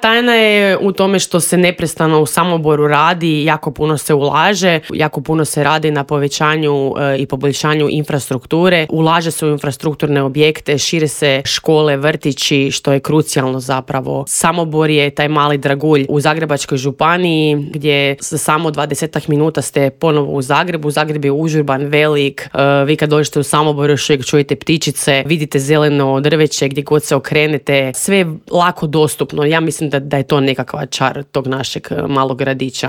Tajna je u tome što se neprestano u Samoboru radi, jako puno se ulaže, jako puno se radi na povećanju i poboljšanju infrastrukture, ulaže se u infrastrukturne objekte, šire se škole, vrtići, što je krucijalno zapravo. Samobor je taj mali dragulj u Zagrebačkoj županiji gdje za samo 20 minuta ste ponovo u Zagrebu. Zagreb je užurban, velik, vi kad dođete u Samobor još uvijek čujete ptičice, vidite zeleno drveće gdje god se okrenete, sve je lako dostupno. Ja mislim da je to nekakva čar tog našeg malog gradića.